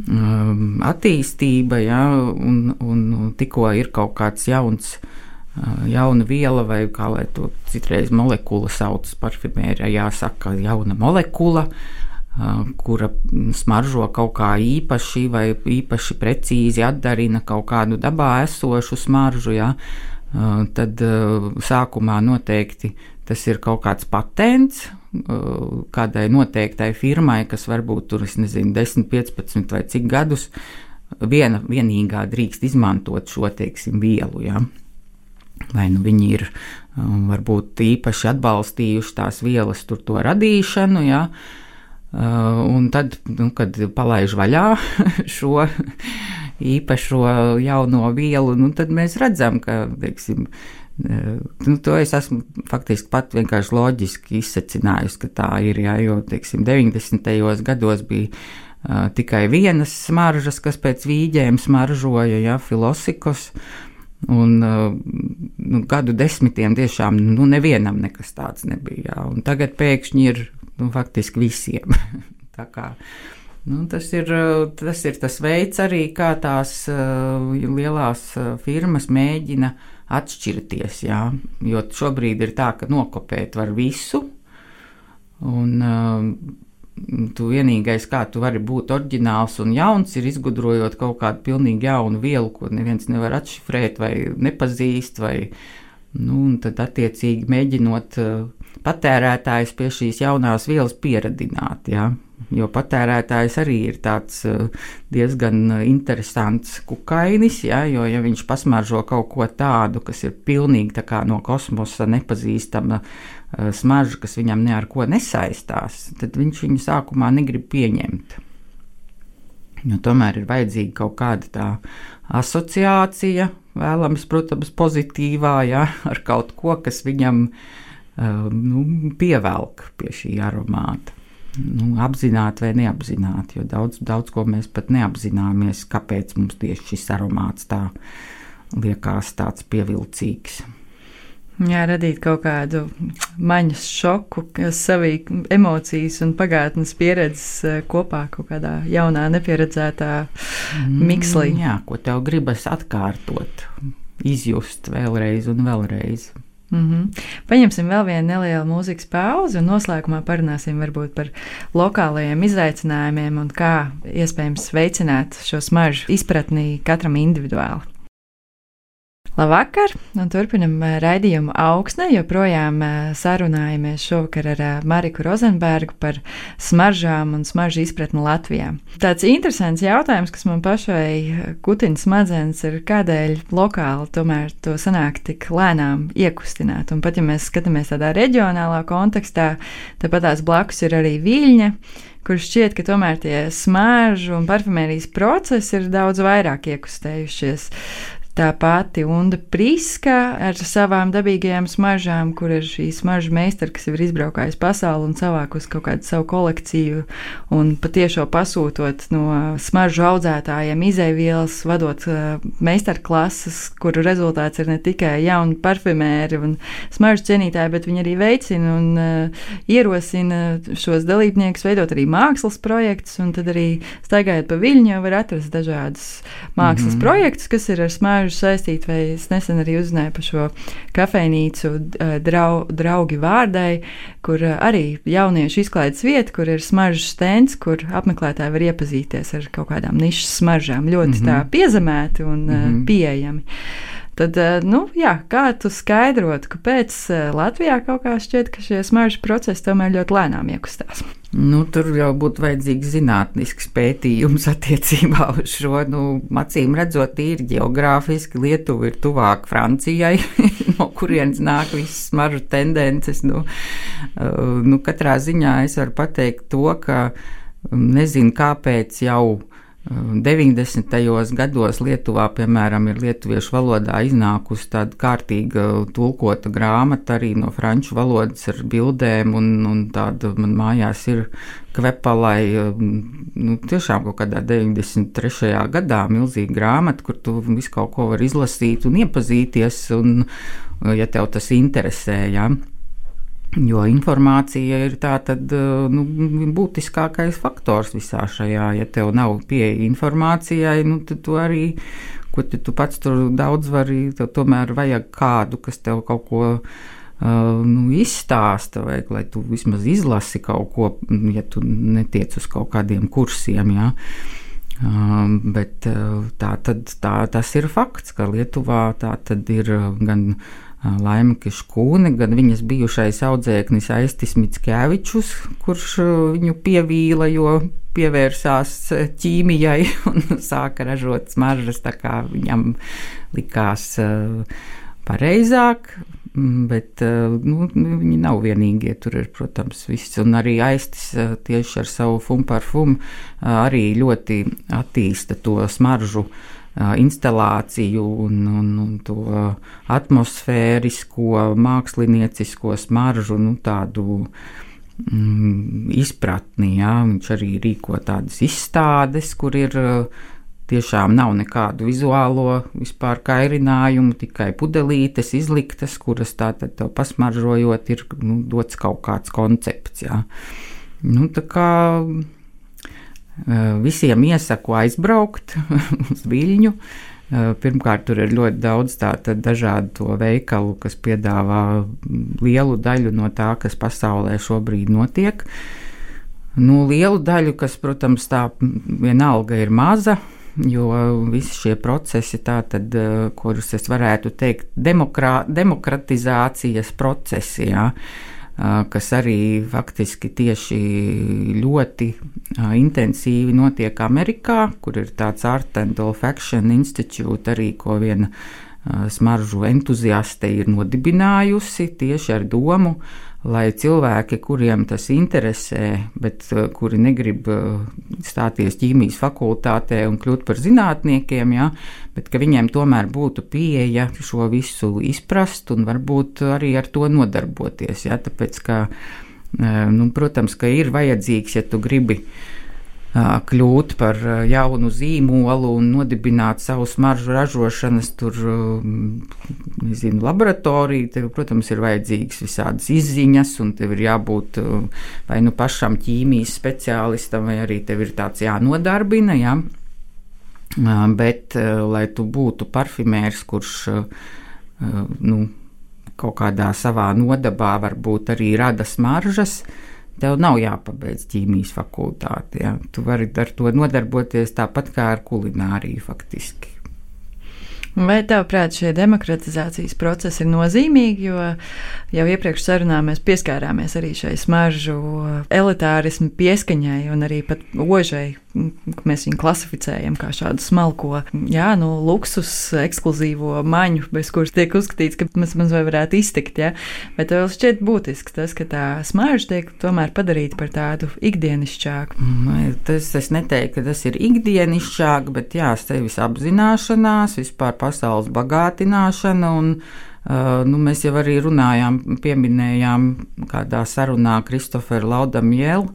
attīstība, ja, un, un tikko ir kaut kāds jauns, jauna viela vai kā lai to citreiz molekula sauc parfimērijā, jāsaka jauna molekula, kura smaržo kaut kā īpaši vai īpaši precīzi atdarina kaut kādu dabā esošu smaržu, ja, tad sākumā noteikti tas ir kaut kāds patents kādai noteiktai firmai, kas varbūt tur, es nezinu, desmit, piecpadsmit vai cik gadus viena, vienīgā drīkst izmantot šo, teiksim, vielu, ja. Vai nu viņi ir varbūt īpaši atbalstījuši tās vielas tur to radīšanu, ja. Un tad, nu, kad palaiž vaļā šo īpašo jauno vielu, nu, tad mēs redzam, ka, teiksim, nu, to es esmu faktiski pat vienkārši loģiski izsecinājusi, ka tā ir, jā, jo, teiksim, deviņdesmitajos gados bija uh, tikai vienas smaržas, kas pēc vīģēm smaržoja, jā, Filosikos, un uh, nu, gadu desmitiem tiešām, nu, nevienam nekas tāds nebija, jā, un tagad pēkšņi ir, nu, faktiski visiem. Tā kā, nu, tas ir, tas ir tas veids arī, kā tās uh, lielās uh, firmas mēģina atšķirties, jā, jo šobrīd ir tā, ka nokopēt var visu, un uh, tu vienīgais, kā tu vari būt oriģināls un jauns, ir izgudrojot kaut kādu pilnīgi jaunu vielu, ko neviens nevar atšifrēt vai nepazīst, vai, nu, un tad attiecīgi mēģinot uh, patērētājs pie šīs jaunās vielas pieradināt, jā. Jo patērētājs arī ir tāds diezgan interesants kukainis, ja, jo ja viņš pasmaržo kaut ko tādu, kas ir pilnīgi tā kā no kosmosa nepazīstama smarža, kas viņam ne ar ko nesaistās, tad viņš viņu sākumā negrib pieņemt. Jo tomēr ir vajadzīga kaut kāda tā asociācija, vēlams, protams, pozitīvā, ja, ar kaut ko, kas viņam nu, pievelk pie šī aromāta. Nu, apzināti vai neapzināti, jo daudz, daudz ko mēs pat neapzināmies, kāpēc mums tieši šis aromāts tā liekas tāds pievilcīgs. Jā, radīt kaut kādu maņas šoku, kas savī emocijas un pagātnes pieredzes kopā kaut kādā jaunā, nepieredzētā mikslī. Mm, jā, ko tev gribas atkārtot, izjust vēlreiz un vēlreiz. Mm-hmm. Paņemsim vēl vienu nelielu mūzikas pauzi un noslēgumā parunāsim varbūt par lokālajiem izaicinājumiem un kā iespējams veicināt šo smaržu izpratni katram individuāli. Labvakar, un turpinam raidījumu Augsne, joprojām sarunājamies šovakar ar Mariku Rozenbergu par smaržām un smaržu izpratni Latvijā. Tāds interesants jautājums, kas man pašai kutina smadzenes, ir kādēļ lokāli tomēr to sanāk tik lēnām iekustināt. Un pat ja mēs skatāmies tādā reģionālā kontekstā, tāpat tās blakus ir arī Viļņa, kur šķiet, ka tomēr tie smaržu un parfumērijas procesi ir daudz vairāk iekustējušies. Tā pati Unda Priska ar savām dabīgajām smaržām, kur ir šī smaržu meistara, kas jau ir izbraukājusi pasauli un savākus kaut kādu savu kolekciju un patiešo pasūtot no smaržu audzētājiem izeivielas, vadot uh, meistarklases, kuru rezultāts ir ne tikai jauni parfumēri un smaržu cienītāji, bet viņi arī veicina un uh, ierosina šos dalībniekus veidot arī mākslas projektus, un tad arī staigājot pa Viļņu var atrast dažādus mākslas mm-hmm. projektus, kas ir ar smaržu saistīt, vai es nesen arī uzzināju par šo kafejnīcu drau, draugi vārdai, kur arī jauniešu izklaides vieta, kur ir smaržu stends, kur apmeklētāji var iepazīties ar kaut kādām nišas smaržām, ļoti mm-hmm. tā piezemēti un mm-hmm. pieejami. Tad, nu, jā, kā tu skaidrotu, kāpēc Latvijā kaut kā šķiet, ka šie smaržu procesi tomēr ļoti lēnām iekustās? Nu, tur jau būtu vajadzīgs zinātnisks pētījums attiecībā uz šo, nu, acīm redzot, tīri geogrāfiski Lietuva ir tuvāk Francijai, no kurienes nāk visas smaržu tendences. Nu, nu, katrā ziņā es varu pateikt to, ka nezinu, kāpēc jau deviņdesmitajos gados Lietuvā, piemēram, ir lietuviešu valodā iznākusi tāda kārtīga tulkota grāmata arī no franču valodas ar bildēm, un, un tāda man mājās ir Kvepalai, nu, tiešām kaut kādā deviņdesmit trešajā gadā milzīga grāmata, kur tu visu kaut ko var izlasīt un iepazīties, un, ja tev tas interesē, jā. Jo informācija ir tā tad, nu, būtiskākais faktors visā šajā. Ja tev nav pieeja informācijai, nu, tad tu arī, ko tu, tu pats tur daudz vari, tev tomēr vajag kādu, kas tev kaut ko uh, nu, izstāsta, vajag, lai tu vismaz izlasi kaut ko, ja tu netiec uz kaut kādiem kursiem, jā. Uh, bet uh, tā tad, tā, tas ir fakts, ka Lietuvā tā tad ir gan Laima Kiškūne, gan viņas bijušais audzēknis Aistis Mickevičus, kurš viņu pievīla, jo pievērsās ķīmijai un sāka ražot smaržas, tā kā viņam likās pareizāk, bet nu, viņi nav vienīgie, tur ir, protams, viss, un arī Aistis tieši ar savu Fum Parfum arī ļoti attīsta to smaržu instalāciju un, un, un to atmosfērisko, māksliniecisko smaržu, nu, tādu mm, izpratni, jā. Viņš arī rīko tādas izstādes, kur ir tiešām nav nekādu vizuālo vispār kairinājumu, tikai pudelītes izliktas, kuras tātad tev pasmaržojot ir, nu, dots kaut kāds koncepts, jā. Nu, tā kā visiem iesaku aizbraukt uz Viļņu. Pirmkārt, tur ir ļoti daudz tātad dažādu to veikalu, kas piedāvā lielu daļu no tā, kas pasaulē šobrīd notiek. Nu, lielu daļu, kas, protams, tā vienalga ir maza, jo visi šie procesi tātad, kurus es varētu teikt, demokrā, demokratizācijas procesi, jā, kas arī faktiski tieši ļoti intensīvi notiek Amerikā, kur ir tāds Art and Olfaction Institute arī, ko viena smaržu entuziaste ir nodibinājusi tieši ar domu, lai cilvēki, kuriem tas interesē, bet kuri negrib stāties ķīmijas fakultātē un kļūt par zinātniekiem, ja, bet ka viņiem tomēr būtu pieeja šo visu izprast un varbūt arī ar to nodarboties. Ja, tāpēc, ka, nu, protams, ka ir vajadzīgs, ja tu gribi kļūt par jaunu zīmolu un nodibināt savu smaržu ražošanas tur, nezinu, laboratoriju, tev, protams, ir vajadzīgs visādas izziņas, un tev ir jābūt vai nu pašam ķīmijas speciālistam, vai arī tev ir tāds jānodarbina, jā. Bet, lai tu būtu parfimērs, kurš, nu, kaut kādā savā nodabā varbūt arī rada smaržas, tev nav jāpabeidz ķīmijas fakultāti. Ja? Tu vari ar to nodarboties tāpat kā ar kulināriju faktiski. Vai tavuprāt šie demokratizācijas procesi ir nozīmīgi, jo jau iepriekš sarunā mēs pieskārāmies arī šai smaržu elitārismu pieskaņai un arī pat ožai, mēs viņu klasificējam kā šādu smalko, jā, nu, luksus, ekskluzīvo maņu, bez kuras tiek uzskatīts, ka mēs maz vai varētu iztikt, jā. Bet vēl šķiet būtisks tas, ka tā smarža tiek tomēr padarīta par tādu ikdienišķāku. Tas, es neteiktu, ka tas ir ikdienišķāk, bet jā, sevis apzināšanās, vispār pasaules bagātināšana un uh, nu, mēs jau arī runājām, pieminējām kādā sarunā Kristoferu Laudamielu,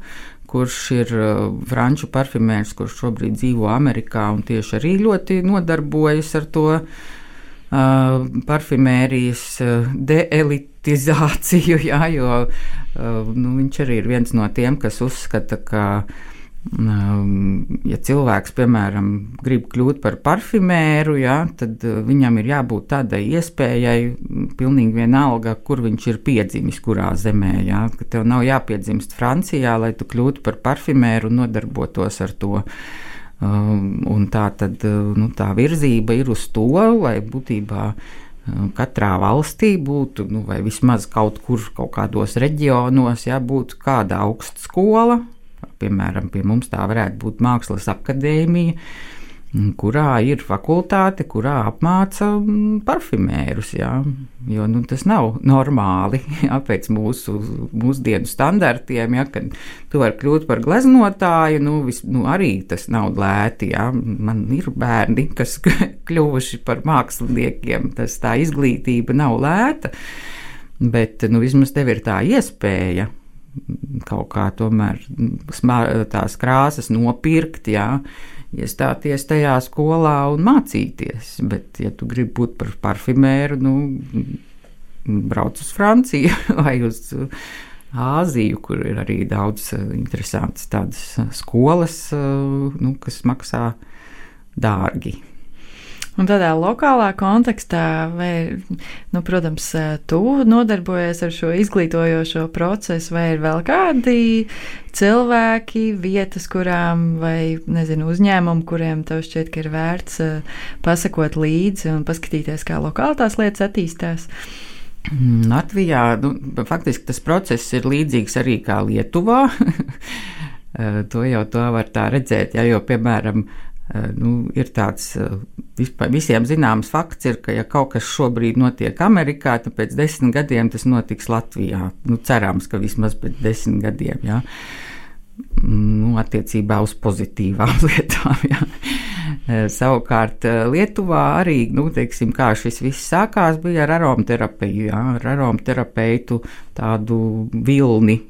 kurš ir uh, franču parfimērs, kurš šobrīd dzīvo Amerikā un tieši arī ļoti nodarbojas ar to uh, parfimērijas uh, deelitizāciju, jā, jo uh, nu, viņš arī ir viens no tiem, kas uzskata, ka ja cilvēks, piemēram, grib kļūt par parfimēru, ja, tad viņam ir jābūt tādai iespējai, pilnīgi vienalga, kur viņš ir piedzimis, kurā zemē. Ja, ka tev nav jāpiedzimst Francijā, lai tu kļūtu par parfimēru un nodarbotos ar to. Un tā tad, nu, tā virzība ir uz to, lai būtībā katrā valstī būtu, nu, vai vismaz kaut kur, kaut kādos reģionos, ja, būtu kāda augsta skola. Piemēram, pie mums tā varētu būt Mākslas akadēmija, kurā ir fakultāte, kurā apmāca parfimērus, jā, jo nu, tas nav normāli, jā, pēc mūsu mūsdienu standartiem, jā, kad tu vari kļūt par gleznotāju, nu, vis, nu arī tas nav lēti, jā, man ir bērni, kas kļuvuši par māksliniekiem, tas tā izglītība nav lēta, bet, nu, vismaz tev ir tā iespēja kaut kā tomēr tās krāsas nopirkt, jā, iestāties tajā skolā un mācīties. Bet, ja tu gribi būt par parfimēru, nu, brauc uz Franciju vai uz Āziju, kur ir arī daudz interesantas tādas skolas, nu, kas maksā dārgi. Un tādā lokālā kontekstā, vai, nu, protams, tu nodarbojies ar šo izglītojošo procesu, vai ir vēl kādi cilvēki, vietas, kurām, vai, nezinu, uzņēmumi, kuriem tev šķiet, ka ir vērts pasakot līdzi un paskatīties, kā lokāli tās lietas attīstās? Latvijā, nu, faktiski tas process ir līdzīgs arī kā Lietuvā. To jau to var tā redzēt, ja, jo, piemēram, nu, ir tāds vispār, visiem zināms fakts, ir, ka ja kaut kas šobrīd notiek Amerikā, tad pēc desmit gadiem tas notiks Latvijā. Nu, cerams, ka vismaz pēc desmit gadiem, jā. Nu, attiecībā uz pozitīvām lietām, jā. Savukārt Lietuvā arī, nu, teiksim, kā šis viss sākās, bija ar aromaterapiju, jā, ar aromaterapeitu tādu vilni.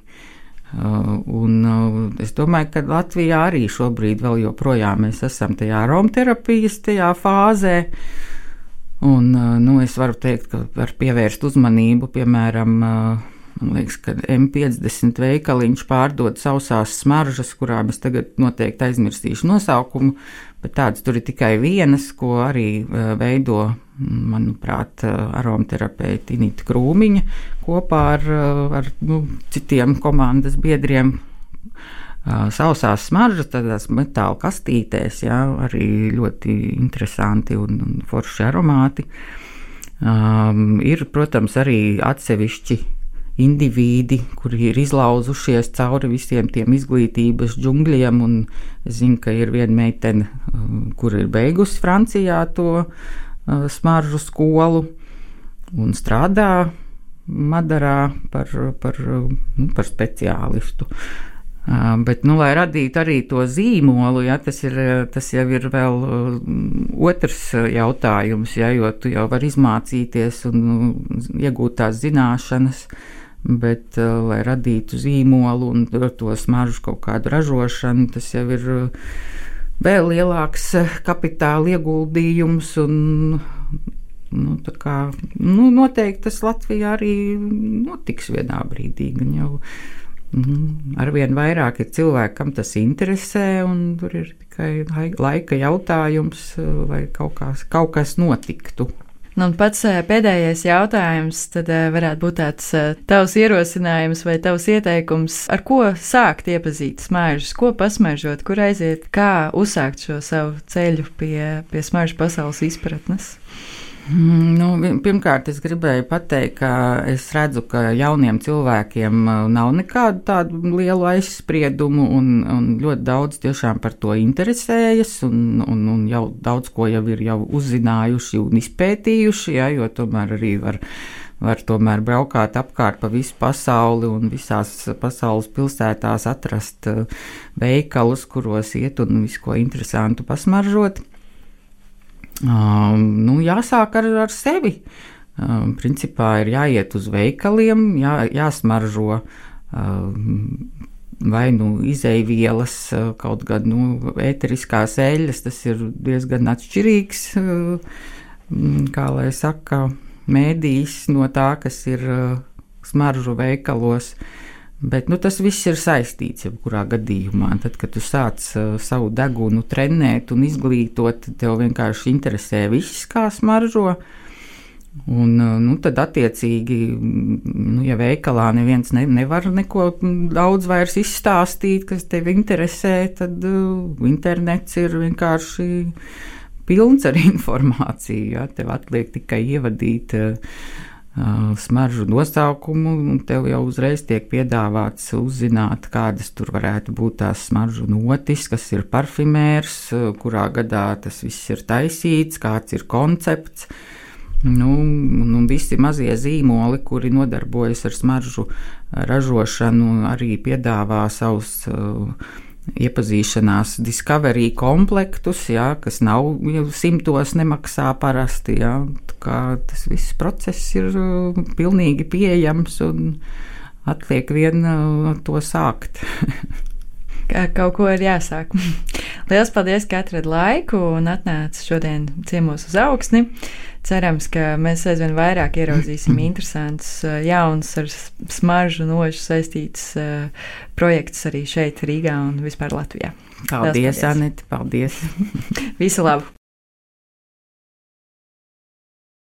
Uh, un uh, es domāju, ka Latvijā arī šobrīd vēl joprojām mēs esam tajā aromaterapijas tajā fāzē, un uh, nu, es varu teikt, ka var pievērst uzmanību, piemēram, uh, man liekas, ka M piecdesmit veikaliņš pārdod sausās smaržas, kurām es tagad noteikti aizmirstīšu nosaukumu, bet tādas tur ir tikai vienas, ko arī uh, veido, manuprāt, aromaterapeita Inita Krūmiņa kopā ar, ar nu, citiem komandas biedriem. Sausās smaržas tādās metāla kastītēs, jā, arī ļoti interesanti un, un forši aromāti. Um, ir, protams, arī atsevišķi indivīdi, kuri ir izlauzušies cauri visiem tiem izglītības džungļiem, un es zinu, ka ir viena meitene, kur ir beigusi Francijā to smaržu skolu un strādā Madarā par, par, nu, par speciālistu. Uh, bet, nu, lai radītu arī to zīmolu, ja, tas, ir, tas jau ir vēl uh, otrs jautājums, ja, jo tu jau vari izmācīties un uh, iegūt tās zināšanas, bet, uh, lai radītu zīmolu un to smaržu kaut kādu ražošanu, tas jau ir uh, vēl lielāks kapitāla ieguldījums un, nu, tā kā, nu, noteikti tas Latvijā arī notiks vienā brīdī, gan jau Mm, arvien vairāk ir cilvēki, kam tas interesē, un tur ir tikai laika jautājums, lai kaut kas, kaut kas notiktu. Nu, un pats pēdējais jautājums tad varētu būt tāds tavs ierosinājums vai tavs ieteikums, ar ko sākt iepazīt smaržas, ko pasmaržot, kur aiziet, kā uzsākt šo savu ceļu pie, pie smaržu pasaules izpratnes? Nu, pirmkārt, es gribēju pateikt, ka es redzu, ka jauniem cilvēkiem nav nekādu tādu lielu aizspriedumu, un, un ļoti daudz tiešām par to interesējas, un, un, un jau daudz ko jau ir jau uzzinājuši un izpētījuši, ja, jo tomēr arī var, var tomēr braukāt apkārt pa visu pasauli un visās pasaules pilsētās atrast veikalus, kuros iet un visu ko interesantu pasmaržot. Uh, nu, jāsāk ar, ar sevi. Uh, principā ir jāiet uz veikaliem, jā, jāsmaržo uh, vai nu izeivielas, uh, kaut gan nu, ēteriskās eļļas, tas ir diezgan atšķirīgs, uh, kā lai saka, mēdījis no tā, kas ir uh, smaržu veikalos. Bet nu, tas viss ir saistīts jebkurā gadījumā. Tad, kad tu sāc uh, savu degunu trenēt un izglītot, tev vienkārši interesē viss, kā smaržo. Un, uh, nu, tad attiecīgi, nu, ja veikalā neviens ne, nevar neko daudz vairs izstāstīt, kas tev interesē, tad uh, internets ir vienkārši pilns ar informāciju. Ja? Tev atliek tikai ievadīt uh, smaržu nosaukumu, un tev jau uzreiz tiek piedāvāts uzzināt, kādas tur varētu būt tās smaržu notis, kas ir parfimērs, kurā gadā tas viss ir taisīts, kāds ir koncepts. Nu, un visi mazie zīmoli, kuri nodarbojas ar smaržu ražošanu, arī piedāvā savus uh, iepazīšanās discovery komplektus, jā, kas nav simtos nemaksā parasti. Jā, kā tas viss process ir uh, pilnīgi pieejams un atliek vien uh, to sākt. Kaut ko ir jāsāk. Lielas paldies, ka atradi laiku un atnāci šodien ciemos uz Augsni. Cerams, ka mēs aizvien vairāk ieraudzīsim interesantus, jaunus ar smaržu nožu saistītus uh, projektus arī šeit Rīgā un vispār Latvijā. Paldies, paldies. Anete, paldies. Visu labu!